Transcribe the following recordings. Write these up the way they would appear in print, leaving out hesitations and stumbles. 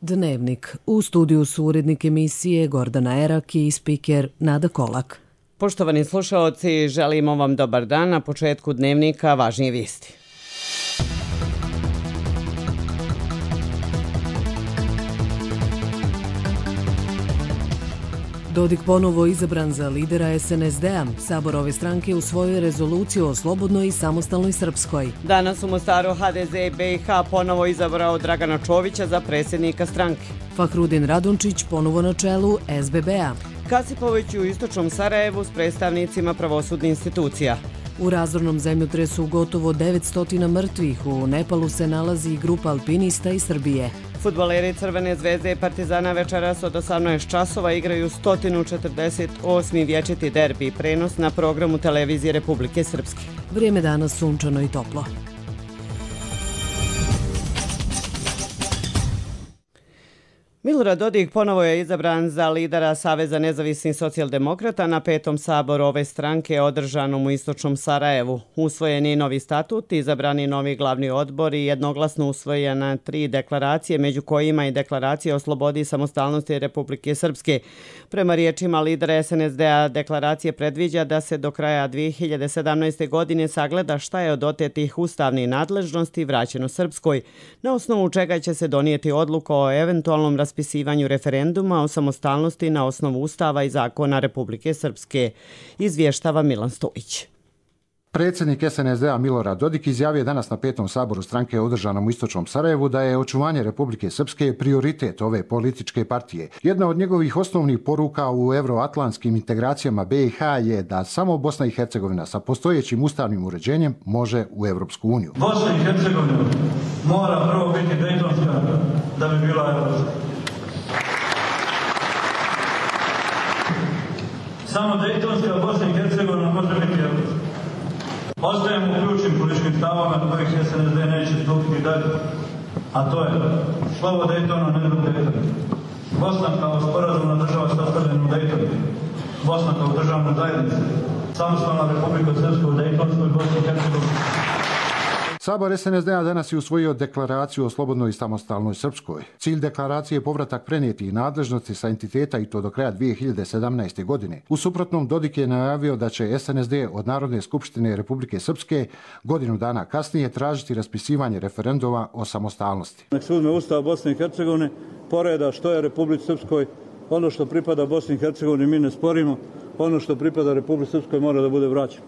Dnevnik. U studiju su urednik emisije Gordana Erak i spiker Nada Kolak. Poštovani slušaoci, želimo vam dobar dan. Na početku Dnevnika važnije vijesti. Dodik ponovo izabran za lidera SNSD-a. Sabor ove stranke usvojio rezoluciju o slobodnoj i samostalnoj Srpskoj. Danas u Mostaru HDZ BiH ponovo izabrao Dragana Čovića za predsjednika stranke. Fahrudin Radončić ponovo na čelu SBB-a. Kasipović u istočnom Sarajevu s predstavnicima pravosudnih institucija. U razornom zemljotresu gotovo 900 mrtvih. U Nepalu se nalazi grupa alpinista iz Srbije. Fudbaleri Crvene zvezde i Partizana večeras od 18 časova igraju 148. vječiti derbi, prenos na programu televizije Republike Srpske. Vrijeme danas sunčano i toplo. Milorad Dodik ponovo je izabran za lidera Saveza nezavisnih socijaldemokrata na 5. saboru ove stranke održanom u istočnom Sarajevu. Usvojen je novi statut, izabrani novi glavni odbor i jednoglasno usvojena 3 deklaracije, među kojima i deklaracija o slobodi i samostalnosti Republike Srpske. Prema riječima lidera SNSD-a, deklaracija predviđa da se do kraja 2017. godine sagleda šta je od otetih ustavnih nadležnosti vraćeno Srpskoj, na osnovu čega će se donijeti odluka o eventualnom raspisivanju referenduma o samostalnosti na osnovu Ustava i zakona Republike Srpske, izvještava Milan Stojić. Predsjednik SNSD-a Milorad Dodik izjavio je danas na 5. saboru stranke održanom u istočnom Sarajevu da je očuvanje Republike Srpske prioritet ove političke partije. Jedna od njegovih osnovnih poruka u euroatlantskim integracijama BiH je da samo Bosna i Hercegovina sa postojećim ustavnim uređenjem može u Europsku uniju. Bosna i Hercegovina mora prvo biti dejtonska da bi bila europska. Samo dejtonska Bosna i Hercegovina može biti europska. Ostajemo u ključnim političkim stavama do kojih SNSD neće stupiti dalje, a to je slovo Dejtona, ne drug Dejton. Bosna kao sporazumna država sastavljena u Dejtonu, Bosna kao državna zajednica, samostalna Republika Srpska u Dejtonskoj Bosni i Hercegovini. Sabor SNSD-a danas je usvojio deklaraciju o slobodnoj i samostalnoj Srpskoj. Cilj deklaracije je povratak prenijetih nadležnosti sa entiteta i to do kraja 2017. godine. U suprotnom, Dodik je najavio da će SNSD od Narodne skupštine Republike Srpske godinu dana kasnije tražiti raspisivanje referenduma o samostalnosti. Nek se uzme Ustav Bosne i Hercegovine, poreda što je Republici Srpskoj, ono što pripada Bosni i Hercegovini mi ne sporimo, ono što pripada Republici Srpskoj mora da bude vraćeno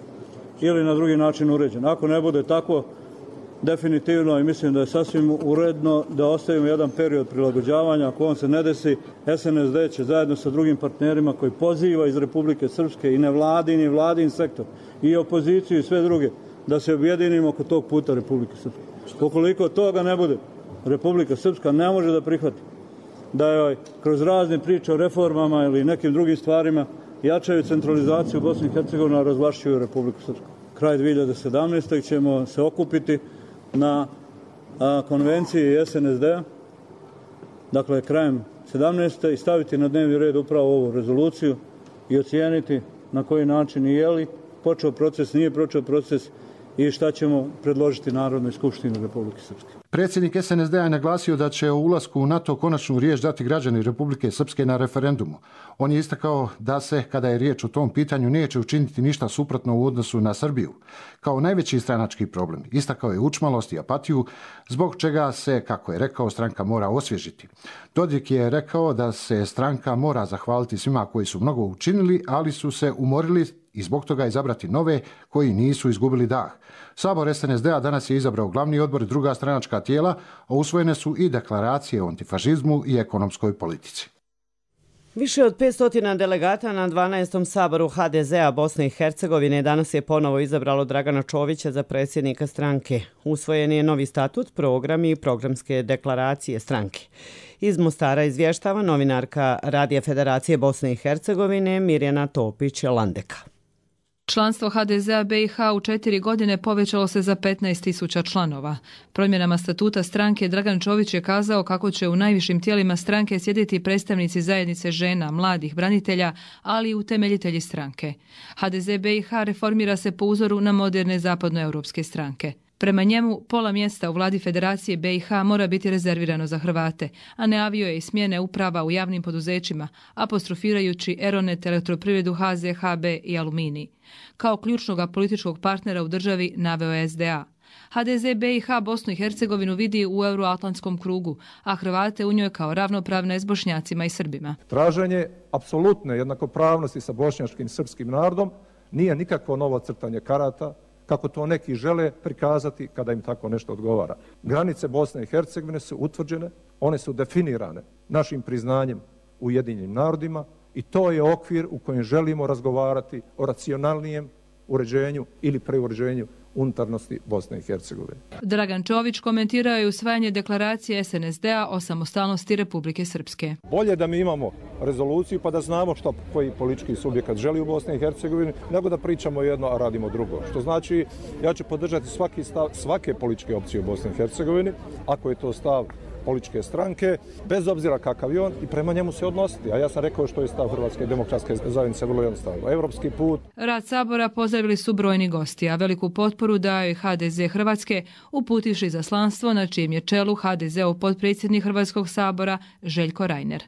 ili na drugi način uređeno. Ako ne bude tako, definitivno i mislim da je sasvim uredno da ostavimo jedan period prilagođavanja. Ako on se ne desi, SNSD će zajedno sa drugim partnerima koji poziva iz Republike Srpske i nevladin i vladin sektor i opoziciju i sve druge da se objedinimo oko tog puta Republike Srpske. Ukoliko toga ne bude, Republika Srpska ne može da prihvati da joj kroz razne priče o reformama ili nekim drugim stvarima jačaju centralizaciju Bosne i Hercegovine, a razvlašćuju Republiku Srpsku. Kraj 2017. ćemo se okupiti na konvenciji SNSD-a, dakle krajem 17. i staviti na dnevni red upravo ovu rezoluciju i ocijeniti na koji način i je li počeo proces, nije počeo proces i šta ćemo predložiti Narodnoj skupštini Republike Srpske. Predsjednik SNSD-a je naglasio da će o ulasku u NATO konačnu riječ dati građani Republike Srpske na referendumu. On je istakao da se, kada je riječ o tom pitanju, neće učiniti ništa suprotno u odnosu na Srbiju. Kao najveći stranački problem istakao je učmalost i apatiju, zbog čega se, kako je rekao, stranka mora osvježiti. Dodik je rekao da se stranka mora zahvaliti svima koji su mnogo učinili, ali su se umorili i zbog toga izabrati nove koji nisu izgubili dah. Sabor SNSD-a danas je izabrao glavni odbor i druga stranačka tijela, a usvojene su i deklaracije o antifašizmu i ekonomskoj politici. Više od 500 delegata na 12. saboru HDZ-a Bosne i Hercegovine danas je ponovo izabralo Dragana Čovića za predsjednika stranke. Usvojen je novi statut, program i programske deklaracije stranke. Iz Mostara izvještava novinarka Radija Federacije Bosne i Hercegovine Mirjana Topić-Landeka. Članstvo HDZ-a BiH u 4 godine povećalo se za 15.000 članova. Promjenama statuta stranke Dragan Čović je kazao kako će u najvišim tijelima stranke sjediti predstavnici zajednice žena, mladih, branitelja, ali i utemeljitelji stranke. HDZ BiH reformira se po uzoru na moderne zapadnoeuropske stranke. Prema njemu, pola mjesta u vladi Federacije BiH mora biti rezervirano za Hrvate, a najavio je i smjene uprava u javnim poduzećima, apostrofirajući Eronet, Elektroprivredu, HZ, HB i Aluminij. Kao ključnog političkog partnera u državi naveo je SDA. HDZ BiH Bosnu i Hercegovinu vidi u euroatlantskom krugu, a Hrvate u njoj kao ravnopravne s Bošnjacima i Srbima. Traženje apsolutne jednakopravnosti sa bošnjačkim i srpskim narodom nije nikakvo novo crtanje karata, kako to neki žele prikazati kada im tako nešto odgovara. Granice Bosne i Hercegovine su utvrđene, one su definirane našim priznanjem Ujedinjenim narodima i to je okvir u kojem želimo razgovarati o racionalnijem uređenju ili preuređenju unutarnosti Bosne i Hercegovine. Dragan Čović komentirao je usvajanje deklaracije SNSD-a o samostalnosti Republike Srpske. Bolje da mi imamo rezoluciju pa da znamo što koji politički subjekat želi u Bosni i Hercegovini, nego da pričamo jedno, a radimo drugo. Što znači, ja ću podržati svaki stav svake političke opcije u Bosni i Hercegovini, ako je to stav političke stranke, bez obzira kakav je on, i prema njemu se odnositi. A ja sam rekao što je stav Hrvatske demokratske zajednice vrlo jednostavno. Evropski put. Rad Sabora pozdravili su brojni gosti, a veliku potporu dao je HDZ Hrvatske, uputivši izaslanstvo na čijem je čelu HDZ-ov potpredsjednik Hrvatskog sabora Željko Reiner.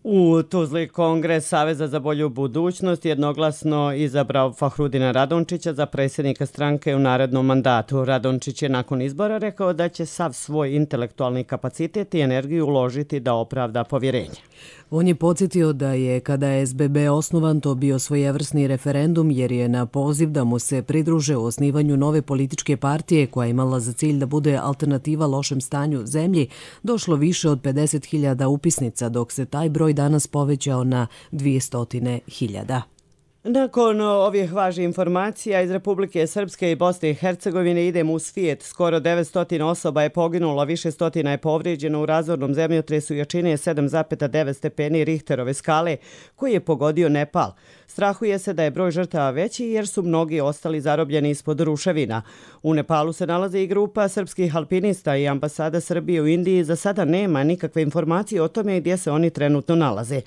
U Tuzli Kongres Saveza za bolju budućnost jednoglasno izabrao Fahrudina Radončića za predsjednika stranke u narednom mandatu. Radončić je nakon izbora rekao da će sav svoj intelektualni kapacitet i energiju uložiti da opravda povjerenje. On je podsjetio da je, kada je SBB osnovan, to bio svojevrsni referendum jer je na poziv da mu se pridruže u osnivanju nove političke partije koja je imala za cilj da bude alternativa lošem stanju zemlji, došlo više od 50.000 upisnica, dok se taj broj danas povećao na 200.000. Nakon ovih važnih informacija iz Republike Srpske i Bosne i Hercegovine idemo u svijet. Skoro 900 osoba je poginulo, više stotina je povrijeđeno u razornom zemljotresu jačine 7,9 stepeni Richterove skale koji je pogodio Nepal. Strahuje se da je broj žrtava veći jer su mnogi ostali zarobljeni ispod ruševina. U Nepalu se nalazi i grupa srpskih alpinista i ambasada Srbije u Indiji za sada nema nikakve informacije o tome gdje se oni trenutno nalaze.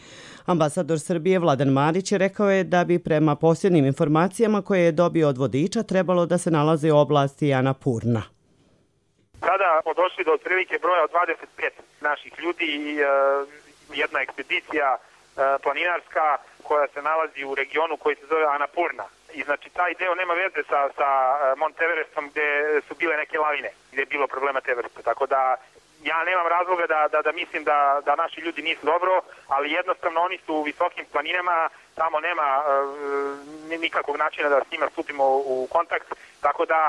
Ambasador Srbije Vladan Marić rekao je da bi prema posljednjim informacijama koje je dobio od vodiča trebalo da se nalaze u oblasti Annapurna. Sada smo došli do otprilike broja od 25 naših ljudi i jedna ekspedicija planinarska koja se nalazi u regionu koji se zove Annapurna. I znači taj deo nema veze sa Mont Everestom gdje su bile neke lavine, gdje je bilo problema te vrste. Tako da ja nemam razloga da mislim da naši ljudi nisu dobro, ali jednostavno oni su u visokim planinama, tamo nema nikakvog načina da s njima stupimo u kontakt, tako da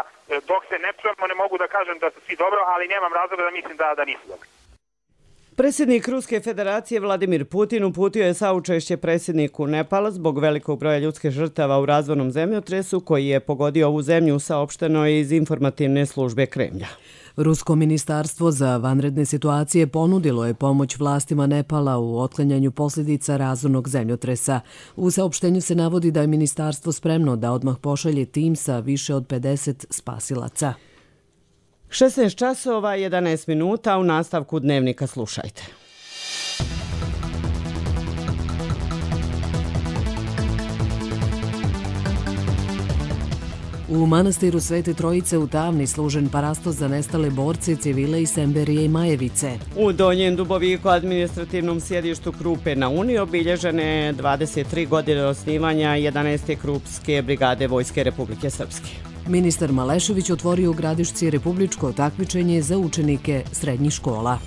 dok se ne čujemo ne mogu da kažem da su svi dobro, ali nemam razloga da mislim da nisu dobro. Predsjednik Ruske federacije Vladimir Putin uputio je saučešće predsjedniku Nepala zbog velikog broja ljudskih žrtava u razornom zemljotresu koji je pogodio ovu zemlju, saopšteno iz informativne službe Kremlja. Rusko ministarstvo za vanredne situacije ponudilo je pomoć vlastima Nepala u otklanjanju posljedica razornog zemljotresa. U saopštenju se navodi da je ministarstvo spremno da odmah pošalje tim sa više od 50 spasilaca. 16 časova, 11 minuta, u nastavku dnevnika slušajte. U manastiru Svete Trojice u Tavni služen parastos za nestale borce, civile iz Semberije i Majevice. U Donjem Duboviku, administrativnom sjedištu Krupe na Uni, obilježene 23 godine osnivanja 11. Krupske brigade Vojske Republike Srpske. Ministar Malešević otvorio u Gradišci republičko takmičenje za učenike srednjih škola.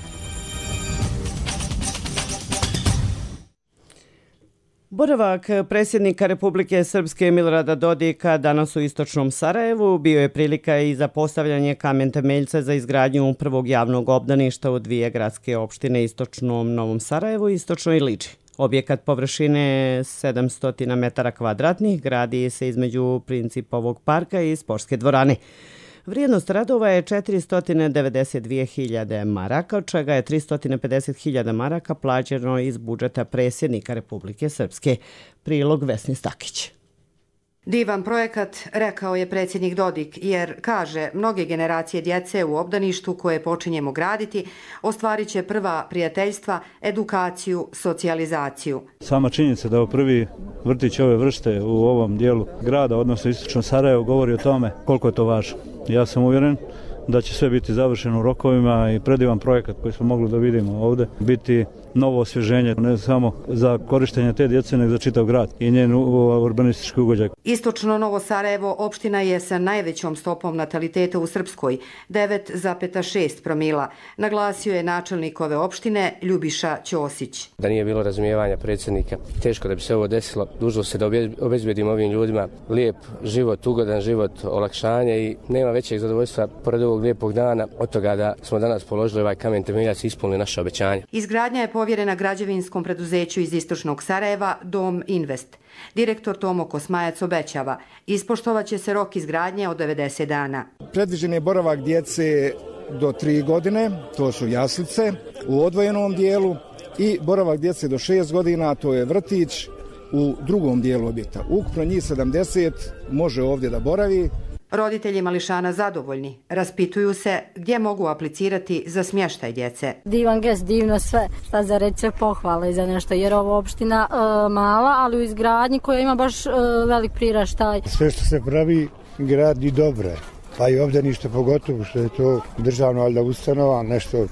Boravak predsjednika Republike Srpske Milorada Dodika danas u istočnom Sarajevu bio je prilika i za postavljanje kamen temeljca za izgradnju prvog javnog obdaništa u dvije gradske opštine, istočnom Novom Sarajevu i istočnoj Liči. Objekat površine 700 metara kvadratnih gradi se između Principovog parka i sportske dvorane. Vrijednost radova je 492.000 maraka, od čega je 350.000 maraka plaćeno iz budžeta predsjednika Republike Srpske. Prilog Vesni Stakić. Divan projekat, rekao je predsjednik Dodik, jer, kaže, mnoge generacije djece u obdaništu koje počinjemo graditi ostvarit će prva prijateljstva, edukaciju, socijalizaciju. Sama činjenica da je prvi vrtić ove vrste u ovom dijelu grada, odnosno istočnom Sarajevu, govori o tome koliko je to važno. Ja sam uvjeren da će sve biti završeno u rokovima i predivan projekat koji smo mogli da vidimo ovdje biti novo osvježenje, ne samo za korištenje te djece, nego za čitav grad i njen urbanistički ugođaj. Istočno Novo Sarajevo opština je sa najvećom stopom nataliteta u Srpskoj, 9,6 promila, naglasio je načelnik ove opštine Ljubiša Ćosić. Da nije bilo razumijevanja predsjednika, teško da bi se ovo desilo. Dužno se da obezbedimo ovim ljudima lijep život, ugodan život, olakšanje i nema većeg zadovoljstva pored ovog lijepog dana od toga da smo danas položili ovaj kamen temeljac i ispunili naše obećanje. Izgradnja je povjerena građevinskom preduzeću iz Istočnog Sarajeva Dom Invest. Direktor Tomo Kosmajac obećava, ispoštovaće se rok izgradnje od 90 dana. Predviđen je boravak djece do 3 godine, to su jaslice u odvojenom dijelu, i boravak djece do 6 godina, to je vrtić u drugom dijelu objekta. Ukupno njih 70 može ovdje da boravi. Roditelji mališana zadovoljni. Raspituju se gdje mogu aplicirati za smještaj djece. Divan gest, divno sve. Šta za reći se pohvale za nešto, jer ovo opština mala, ali u izgradnji koja ima baš velik priraštaj. Sve što se pravi gradi dobro. Pa i ovdje ništa, pogotovo što je to državna valjda ustanova, nešto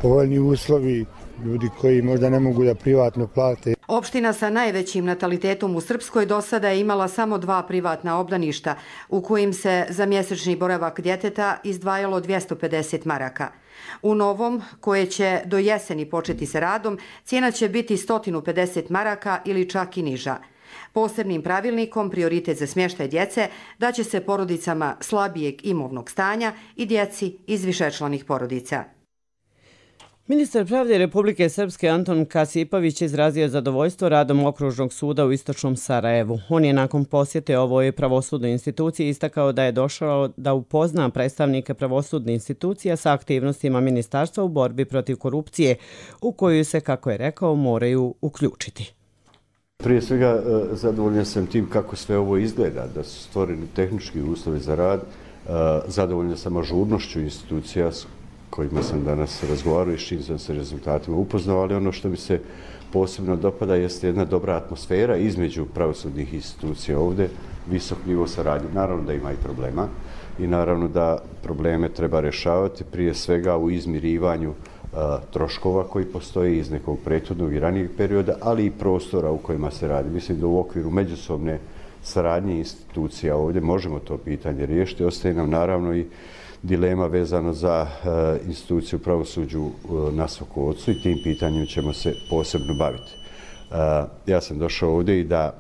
povoljni uslovi, ljudi koji možda ne mogu da privatno plate. Opština sa najvećim natalitetom u Srpskoj do sada je imala samo 2 privatna obdaništa u kojim se za mjesečni boravak djeteta izdvajalo 250 maraka. U novom, koje će do jeseni početi sa radom, cijena će biti 150 maraka ili čak i niža. Posebnim pravilnikom prioritet za smještaj djece daće se porodicama slabijeg imovnog stanja i djeci iz višečlanih porodica. Ministar pravde Republike Srpske Anton Kasipović izrazio zadovoljstvo radom Okružnog suda u Istočnom Sarajevu. On je nakon posjete ovoj pravosudnoj instituciji istakao da je došao da upozna predstavnike pravosudne institucija sa aktivnostima ministarstva u borbi protiv korupcije, u koju se, kako je rekao, moraju uključiti. Prije svega zadovoljan sam tim kako sve ovo izgleda, da su stvoreni tehnički uslovi za rad, zadovoljan sam ažurnošću institucija s kojima sam danas razgovarao i s čim sam se rezultatima upoznao, ali ono što mi se posebno dopada jeste jedna dobra atmosfera između pravosudnih institucija ovdje, visok nivo saradnje. Naravno da ima i problema i naravno da probleme treba rješavati prije svega u izmirivanju troškova koji postoje iz nekog prethodnog i ranijeg perioda, ali i prostora u kojima se radi. Mislim da u okviru međusobne saradnje institucija ovdje možemo to pitanje riješiti. Ostaje nam naravno i dilema vezano za instituciju pravosuđu na Sokocu i tim pitanjem ćemo se posebno baviti. Ja sam došao ovdje i da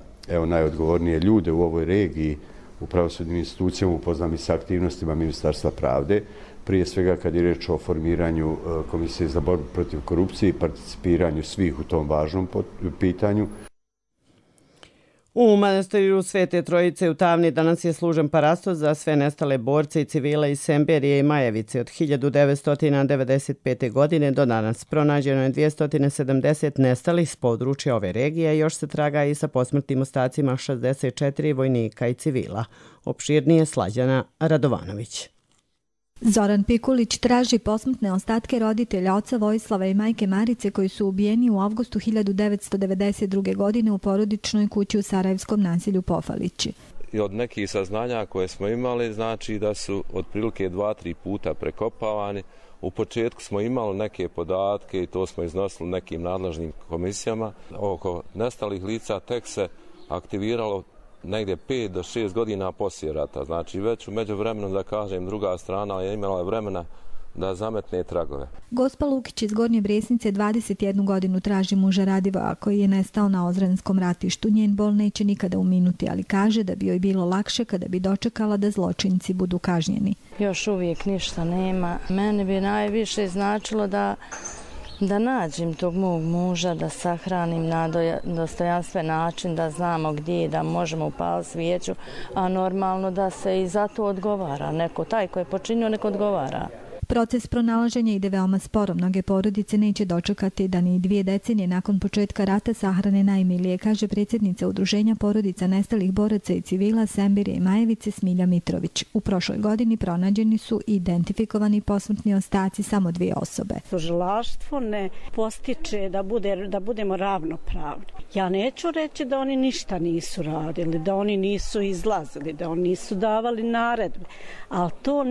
najodgovornije ljude u ovoj regiji u pravosudnim institucijama upoznam i sa aktivnostima Ministarstva pravde, prije svega kad je riječ o formiranju Komisije za borbu protiv korupcije i participiranju svih u tom važnom pitanju. U manastiru Svete Trojice u Tavni danas je služen parastos za sve nestale borce i civile iz Semberije i Majevice. Od 1995. godine do danas pronađeno je 270 nestalih s područja ove regije, još se traga i sa posmrtnim ostacima 64 vojnika i civila. Opširnije Slađana Radovanović. Zoran Pikulić traži posmrtne ostatke roditelja oca Vojislava i majke Marice koji su ubijeni u avgustu 1992. godine u porodičnoj kući u sarajevskom naselju Pofalići. I od nekih saznanja koje smo imali znači da su otprilike 2-3 puta prekopavani. U početku smo imali neke podatke i to smo iznosili nekim nadležnim komisijama. Oko nestalih lica tek se aktiviralo negdje 5 do 6 godina poslije rata. Znači već u međuvremenu, da kažem, druga strana je imala vremena da zametne tragove. Gospa Lukić iz Gornje Bresnice 21 godinu traži muža Radivoja koji je nestao na Ozrenskom ratištu. Njen bol neće nikada uminuti, ali kaže da bi joj bilo lakše kada bi dočekala da zločinci budu kažnjeni. Još uvijek ništa nema. Meni bi najviše značilo da nađem tog mog muža, da sahranim na dostojanstven način, da znamo gdje, da možemo upaliti svijeću, a normalno da se i za to odgovara. Neko taj koji je počinio, neko odgovara. Proces pronalaženja ide veoma sporo. Mnoge porodice neće dočekati da ni 2 decenije nakon početka rata sahrane najmilije, kaže predsjednica Udruženja porodica nestalih boraca i civila Sembirje i Majevice Smilja Mitrović. U prošloj godini pronađeni su identifikovani posmrtni ostaci samo 2 osobe. Tužilaštvo ne postiče da budemo ravnopravni. Ja neću reći da oni ništa nisu radili, da oni nisu izlazili, da oni nisu davali naredbe, ali to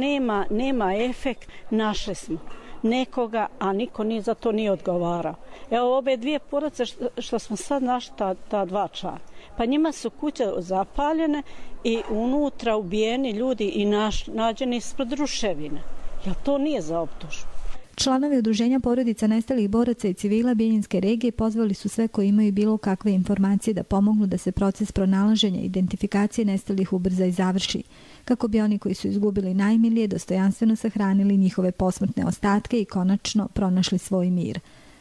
nema efekt. Našli smo nekoga, a niko ni za to nije odgovarao. Evo ove 2 porodice što smo sad našli, ta 2 člana. Pa njima su kuće zapaljene i unutra ubijeni ljudi i nađeni ispred ruševina. Jel to nije za optužbu? Članovi Udruženja porodica nestalih boraca i civila Bijeljinske regije pozvali su sve koji imaju bilo kakve informacije da pomognu da se proces pronalaženja i identifikacije nestalih ubrza i završi, kako bi oni koji su izgubili najmilije dostojanstveno sahranili njihove posmrtne ostatke i konačno pronašli svoj mir.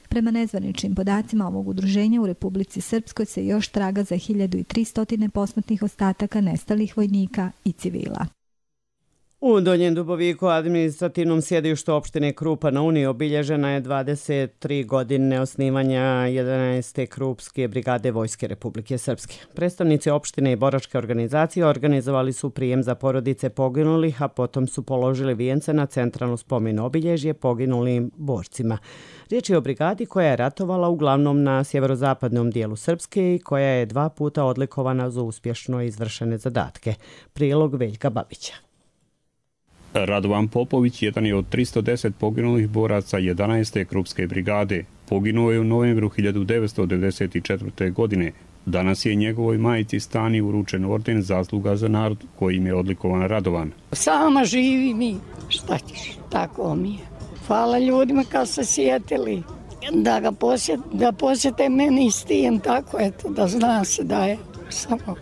Prema nezvaničnim podacima ovog udruženja u Republici Srpskoj se još traga za 1300 posmrtnih ostataka nestalih vojnika i civila. U Donjem Duboviku, administrativnom sjedištu opštine Krupa na Uni, obilježena je 23 godine osnivanja 11. Krupske brigade Vojske Republike Srpske. Predstavnici opštine i boračke organizacije organizovali su prijem za porodice poginulih, a potom su položili vijence na centralno spomen obilježje poginulim borcima. Riječ je o brigadi koja je ratovala uglavnom na sjeverozapadnom dijelu Srpske i koja je 2 puta odlikovana za uspješno izvršene zadatke. Prilog Veljka Babića. Radovan Popović jedan je od 310 poginulih boraca 11. Krupske brigade. Poginuo je u novembru 1994. godine. Danas je njegovoj majici Stani uručen orden Zasluga za narod kojim je odlikovan Radovan. Sama živi mi, šta ćeš, tako mi je. Hvala ljudima kad se sjetili da posjete meni s tim, tako eto, da zna se da je samo.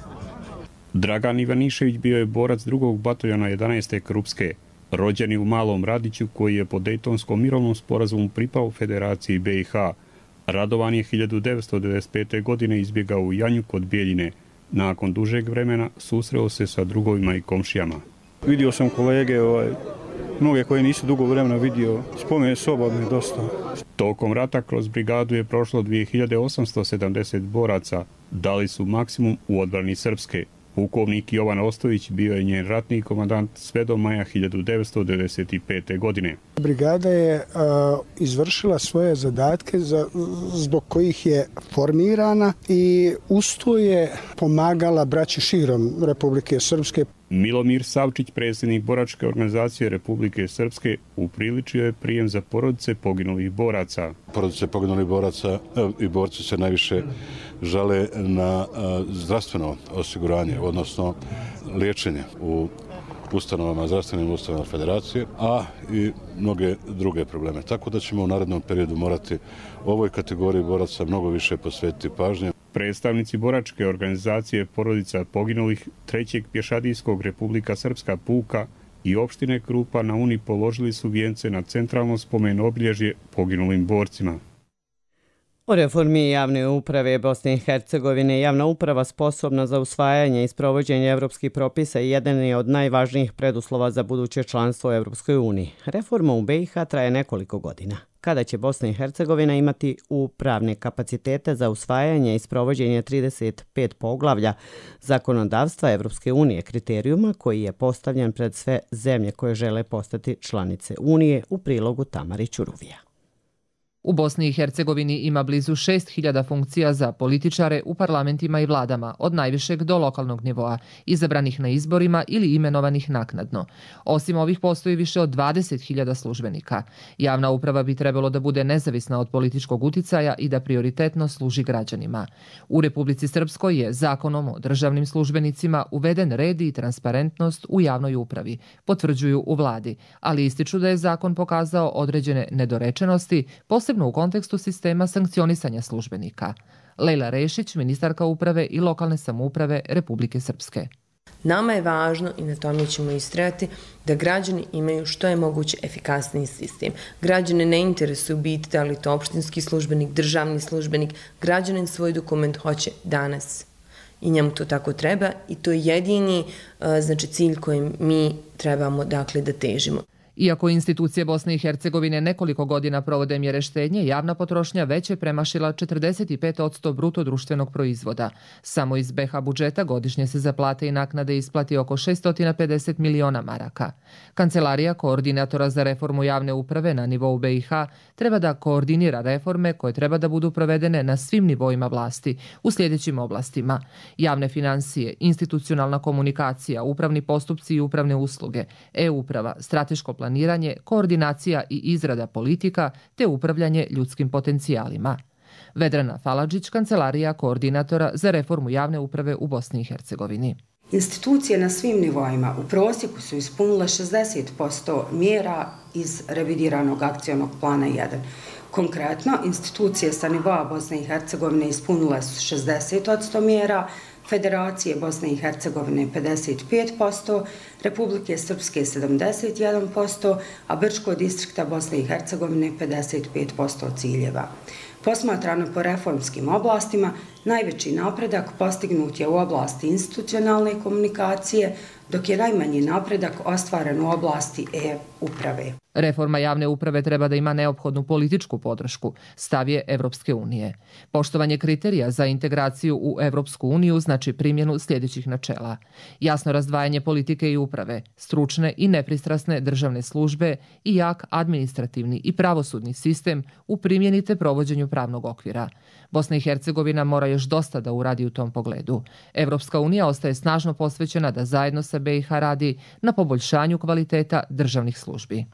Dragan Ivanišević bio je borac 2. bataljona 11. Krupske. Rođen je u Malom Radiću koji je po Dejtonskom mirovnom sporazumu pripao Federaciji BiH. Radovan je 1995. godine izbjegao u Janju kod Bijeljine. Nakon dužeg vremena susreo se sa drugovima i komšijama. Vidio sam kolege, mnoge koje nisu dugo vremena vidio, spomen soba mi dosta. Tokom rata kroz brigadu je prošlo 2870 boraca. Dali su maksimum u odbrani Srpske. Pukovnik Jovan Ostojić bio je njen ratni komandant sve do maja 1995. godine. Brigada je izvršila svoje zadatke zbog kojih je formirana i uz to je pomagala braći širom Republike Srpske. Milomir Savčić, predsjednik boračke organizacije Republike Srpske, upriličio je prijem za porodice poginulih boraca. Porodice poginulih boraca i borci se najviše žale na zdravstveno osiguranje, odnosno liječenje u ustanovama, zdravstvenim ustanovama Federacije, a i mnoge druge probleme. Tako da ćemo u narednom periodu morati ovoj kategoriji boraca mnogo više posvetiti pažnje. Predstavnici boračke organizacije porodica poginulih 3. pješadijskog Republika Srpska puka i opštine Krupa na Uni položili su vijence na centralno spomen obilježje poginulim borcima. O reformi javne uprave Bosne i Hercegovine, javna uprava sposobna za usvajanje i sprovođenje evropskih propisa i jedan je od najvažnijih preduslova za buduće članstvo u Evropskoj uniji. Reforma u BiH traje nekoliko godina. Kada će Bosna i Hercegovina imati upravne kapacitete za usvajanje i sprovođenje 35 poglavlja zakonodavstva Evropske unije, kriterijuma koji je postavljen pred sve zemlje koje žele postati članice Unije, u prilogu Tamari Ćuruvija. U Bosni i Hercegovini ima blizu 6000 funkcija za političare u parlamentima i vladama, od najvišeg do lokalnog nivoa, izabranih na izborima ili imenovanih naknadno. Osim ovih postoji više od 20.000 službenika. Javna uprava bi trebalo da bude nezavisna od političkog uticaja i da prioritetno služi građanima. U Republici Srpskoj je zakonom o državnim službenicima uveden red i transparentnost u javnoj upravi, potvrđuju u vladi, ali ističu da je zakon pokazao određene nedorečenosti, posebno u kontekstu sistema sankcionisanja službenika. Lejla Rešić, ministarka uprave i lokalne samouprave Republike Srpske. Nama je važno, i na tome ćemo istrajati, da građani imaju što je moguće efikasniji sistem. Građane ne interesuju biti da li to opštinski službenik, državni službenik, građanin svoj dokument hoće danas. I njemu to tako treba i to je jedini cilj kojim mi trebamo da težimo. Iako institucije Bosne i Hercegovine nekoliko godina provode mjere štednje, javna potrošnja već je premašila 45% bruto društvenog proizvoda. Samo iz BiH budžeta godišnje se za plate i naknade isplati oko 650 miliona maraka. Kancelarija koordinatora za reformu javne uprave na nivou BiH treba da koordinira reforme koje treba da budu provedene na svim nivoima vlasti u sljedećim oblastima: javne financije, institucionalna komunikacija, upravni postupci i upravne usluge, e-uprava, strateško planiranje, koordinacija i izrada politika te upravljanje ljudskim potencijalima. Vedrana Faladžić, kancelarija koordinatora za reformu javne uprave u Bosni i Hercegovini. Institucije na svim nivoima u prosjeku su ispunile 60% mjera iz revidiranog akcionog plana 1. Konkretno, institucije sa nivoa Bosne i Hercegovine ispunile su 60% mjera, Federacije Bosne i Hercegovine 55%, Republike Srpske 71%, a Brčkog distrikta Bosne i Hercegovine 55% ciljeva. Posmatrano po reformskim oblastima, najveći napredak postignut je u oblasti institucionalne komunikacije, dok je najmanji napredak ostvaren u oblasti e-uprave. Reforma javne uprave treba da ima neophodnu političku podršku, stav je Evropske unije. Poštovanje kriterija za integraciju u Evropsku uniju znači primjenu sljedećih načela: jasno razdvajanje politike i uprave, stručne i nepristrasne državne službe i jak administrativni i pravosudni sistem u primjeni te provođenju pravnog okvira. Bosna i Hercegovina mora još dosta da uradi u tom pogledu. Evropska unija ostaje snažno posvećena da zajedno sa BiH radi na poboljšanju kvaliteta državnih službi.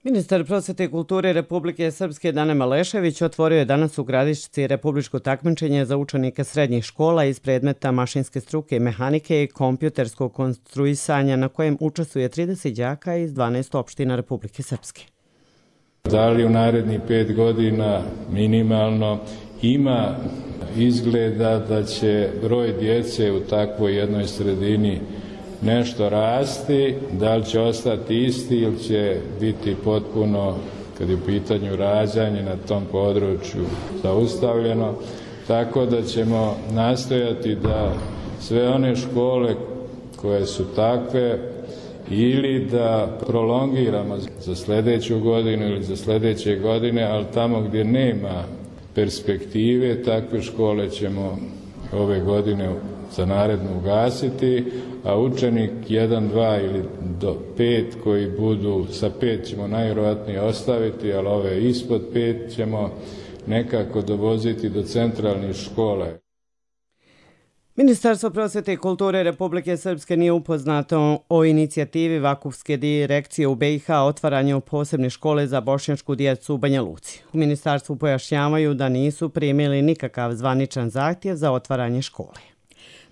Ministar prosvete i kulture Republike Srpske Dane Malešević otvorio je danas u Gradišci republičko takmičenje za učenike srednjih škola iz predmeta mašinske struke i mehanike i kompjuterskog konstruisanja, na kojem učestvuje 30 đaka iz 12 opština Republike Srpske. Da li u narednih 5 godina minimalno ima izgleda da će broj djece u takvoj jednoj sredini nešto rasti, da li će ostati isti ili će biti potpuno, kad je u pitanju rađanje na tom području, zaustavljeno, tako da ćemo nastojati da sve one škole koje su takve ili da prolongiramo za sljedeću godinu ili za sljedeće godine, ali tamo gdje nema perspektive, takve škole ćemo ove godine za narednu ugasiti, a učenik 1, 2 ili do 5 koji budu, sa 5 ćemo najvjerojatnije ostaviti, ali ove ispod 5 ćemo nekako dovoziti do centralnih škole. Ministarstvo prosvete i kulture Republike Srpske nije upoznato o inicijativi Vakufske direkcije u BiH o otvaranju posebne škole za bošnjačku djecu u Banja Luci. U ministarstvu pojašnjavaju da nisu primili nikakav zvaničan zahtjev za otvaranje škole.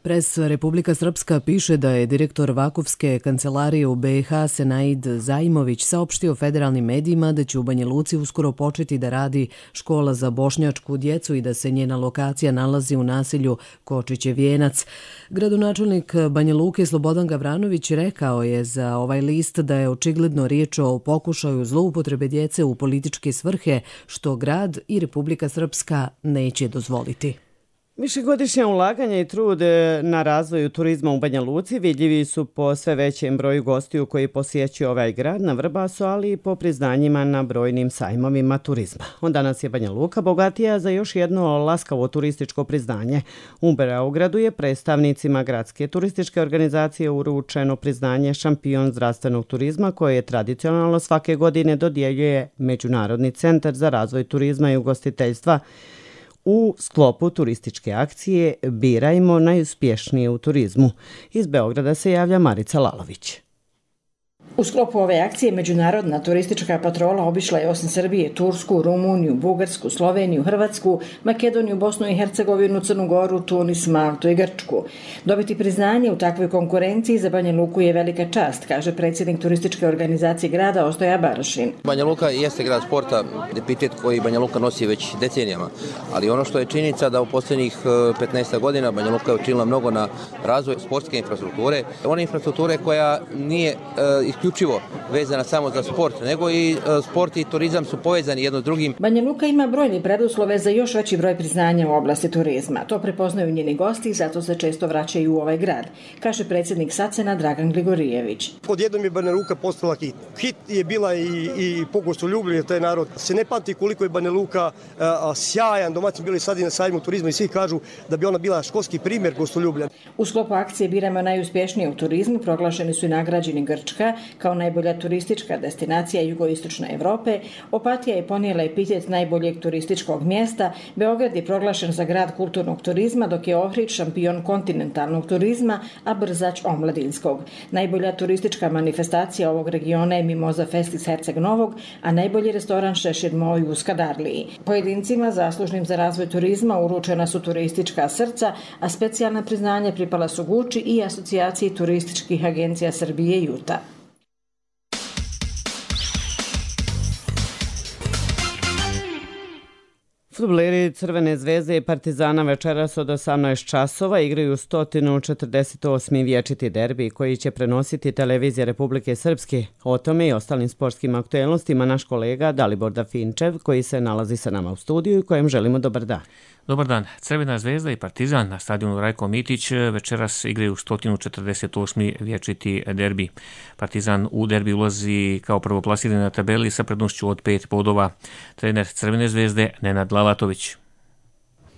Pres Republika Srpska piše da je direktor Vakufske kancelarije u BiH Senaid Zajmović saopštio federalnim medijima da će u Banja Luci uskoro početi da radi škola za bošnjačku djecu i da se njena lokacija nalazi u naselju Kočićev Vijenac. Gradonačelnik Banja Luke Slobodan Gavranović rekao je za ovaj list da je očigledno riječ o pokušaju zloupotrebe djece u političke svrhe, što grad i Republika Srpska neće dozvoliti. Višegodišnja ulaganja i trud na razvoju turizma u Banja Luci vidljivi su po sve većem broju gostiju koji posjećuju ovaj grad na Vrbasu, ali i po priznanjima na brojnim sajmovima turizma. Danas je Banja Luka bogatija za još jedno laskavo turističko priznanje. U Beogradu je predstavnicima gradske turističke organizacije uručeno priznanje šampion zdravstvenog turizma koje je tradicionalno svake godine dodjeljuje Međunarodni centar za razvoj turizma i ugostiteljstva u sklopu turističke akcije Birajmo najuspješnije u turizmu. Iz Beograda se javlja Marica Lalović. U sklopu ove akcije Međunarodna turistička patrola obišla je osim Srbije, Tursku, Rumuniju, Bugarsku, Sloveniju, Hrvatsku, Makedoniju, Bosnu i Hercegovinu, Crnu Goru, Tunis, Maltu i Grčku. Dobiti priznanje u takvoj konkurenciji za Banja Luku je velika čast, kaže predsjednik turističke organizacije grada Ostoja Barašin. Banja Luka jeste grad sporta, epitet koji Banja Luka nosi već decenijama, ali ono što je činjenica da u posljednjih 15 godina Banja Luka je učinila mnogo na razvoj sportske infrastrukture, one infrastrukture koja nije isključivo isključivo vezana samo za sport, nego i sport i turizam su povezani jedno s drugim. Banja Luka ima brojne preduslove za još veći broj priznanja u oblasti turizma. To prepoznaju njeni gosti i zato se često vraćaju u ovaj grad, kaže predsjednik SACEN-a Dragan Gligorijević. Odjednom je Banja Luka postala hit. Hit je bila i pogostoljubljen taj narod. Se ne pamti koliko je Banja Luka sjajan domaćin, bili sad i na sajmu turizma i svi kažu da bi ona bila školski primjer gostoljublja. U sklopu akcije Biramo najuspješnije u turizmu proglašeni su i nagrađeni Grčka kao najbolja turistička destinacija jugoistočne Evrope. Opatija je ponijela epitet najboljeg turističkog mjesta. Beograd je proglašen za grad kulturnog turizma, dok je Ohrid šampion kontinentalnog turizma, a Brzač omladinskog. Najbolja turistička manifestacija ovog regiona je Mimoza Fest iz Herceg Novog, a najbolji restoran Šešir Moj u Skadarliji. Pojedincima zaslužnim za razvoj turizma uručena su turistička srca, a specijalna priznanja pripala su Guči i Asocijaciji turističkih agencija Srbije Juta. Fudbaleri Crvene zvezde i Partizana večeras od 18 časova igraju 148. vječiti derbi koji će prenositi televizija Republike Srpske. O tome i ostalim sportskim aktuelnostima naš kolega Dalibor Dafinčev koji se nalazi sa nama u studiju i kojem želimo dobar dan. Dobar dan. Crvena zvezda i Partizan na stadionu Rajko Mitić večeras igraju 148. vječiti derbi. Partizan u derbi ulazi kao prvoplasirani na tabeli sa prednošću od 5 bodova. Trener Crvene zvezde Nenad Lalatović.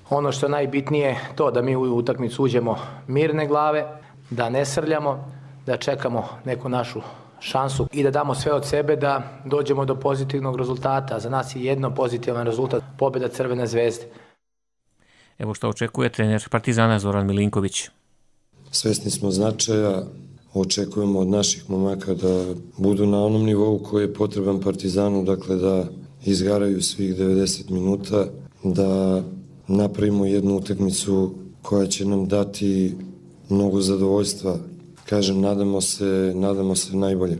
Ono što je najbitnije to da mi u utakmicu uđemo mirne glave, da ne srljamo, da čekamo neku našu šansu i da damo sve od sebe da dođemo do pozitivnog rezultata. Za nas je jedno pozitivan rezultat, pobjeda Crvene zvezde. Evo što očekuje trener Partizana Zoran Milinković. Svesni smo značaja, očekujemo od naših momaka da budu na onom nivou koji je potreban Partizanu, dakle da izgaraju svih 90 minuta, da napravimo jednu utakmicu koja će nam dati mnogo zadovoljstva. Kažem, nadamo se najbolje.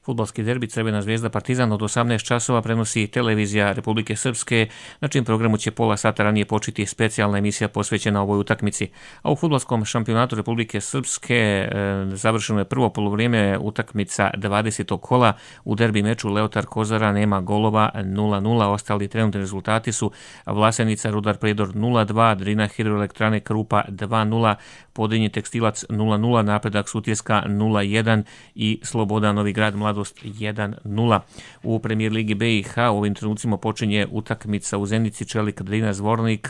Fudbalski derbi Crvena zvezda Partizan od 18 časova prenosi televizija Republike Srpske, na čijem programu će pola sata ranije početi specijalna emisija posvećena ovoj utakmici. A u fudbalskom šampionatu Republike Srpske završeno je prvo polovrijeme utakmica 20. kola. U derbi meču Leotar Kozara nema golova 0-0. Ostali trenutni rezultati su Vlasenica Rudar Predor 0-2, Drina Hidroelektrane Krupa 2-0, Podinje Tekstilac 0-0, Napredak Sutjeska 0-1 i Sloboda Novi Grad Mladost 1-0. U premijer ligi BiH u ovim trenucima počinje utakmica u Zenici Čelik Drina Zvornik.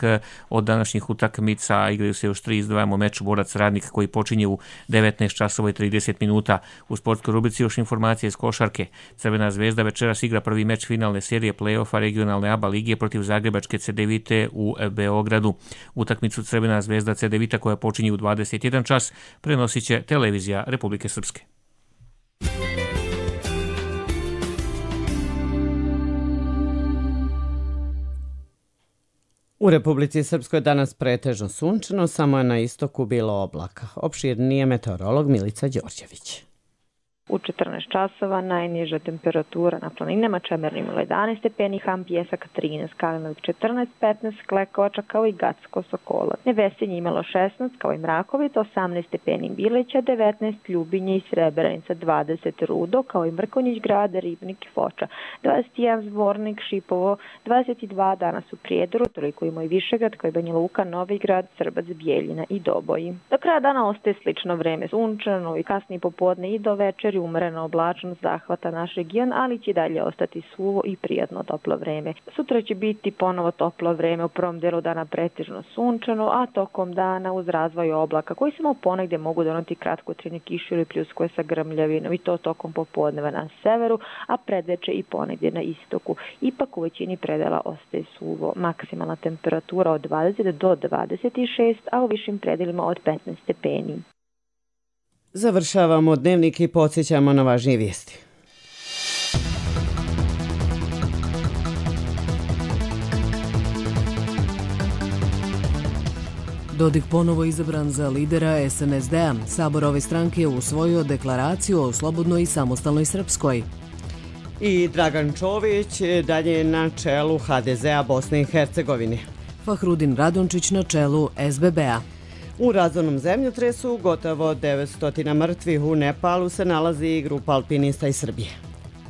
Od današnjih utakmica igraju se još 3, izdvajamo meč Borac Radnik koji počinje u 19 časova i 30 minuta. U sportskoj rubrici još informacije iz košarke. Crvena zvezda večeras igra prvi meč finalne serije play-offa regionalne ABA lige protiv Zagrebačke Cedevite u Beogradu. Utakmicu Crvena zvezda Cedevita koja počinje u 21 čas prenosit će televizija Republike Srpske. U Republici Srpskoj danas pretežno sunčano, samo je na istoku bilo oblaka. Opširnije meteorolog Milica Đorđević. U 14 časova najniža temperatura na planinama Čemernim 11 stepeni, Ham Pjesak 13, Kalinović 14, 15, Klekovača kao i Gacko Sokola. Nevesinje imalo 16 kao i Mrakovic, 18 stepeni Bileća, 19 Ljubinje i Srebrenica, 20 Rudo kao i Mrkonjić grada, Ribnik i Foča, 21 Zvornik, Šipovo, 22 danas u Prijedoru, toliko ima i Višegrad kao i Banja Luka, Novi Grad, Srbac, Bijeljina i Doboji. Do kraja dana ostaje slično vreme, sunčano i kasnije popodne i do večeri umerena oblačnost zahvata naš region, ali će dalje ostati suvo i prijatno toplo vreme. Sutra će biti ponovo toplo vreme, u prvom delu dana pretežno sunčano, a tokom dana uz razvoj oblaka koji samo ponegdje mogu doneti kratkotrajne kiše ili pljuskove sa grmljavinom i to tokom popodneva na severu, a predveče i ponegdje na istoku. Ipak u većini predela ostaje suvo. Maksimalna temperatura od 20 do 26, a u višim predelima od 15 stepeni. Završavamo dnevnik i podsjećamo na važnije vijesti. Dodik ponovo izabran za lidera SNSD-a. Sabor ove stranke je usvojio deklaraciju o slobodnoj i samostalnoj Srpskoj. I Dragan Čović dalje na čelu HDZ-a Bosne i Hercegovine. Fahrudin Radončić na čelu SBB-a. U razornom zemljotresu gotovo 900 mrtvih u Nepalu se nalazi i grupa alpinista iz Srbije.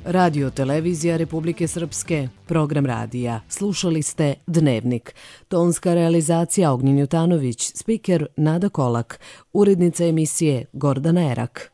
Radio Televizija Republike Srpske, program radija. Slušali ste Dnevnik. Tonska realizacija Ognjen Jutanović, spiker Nada Kolak, urednica emisije Gordana Erak.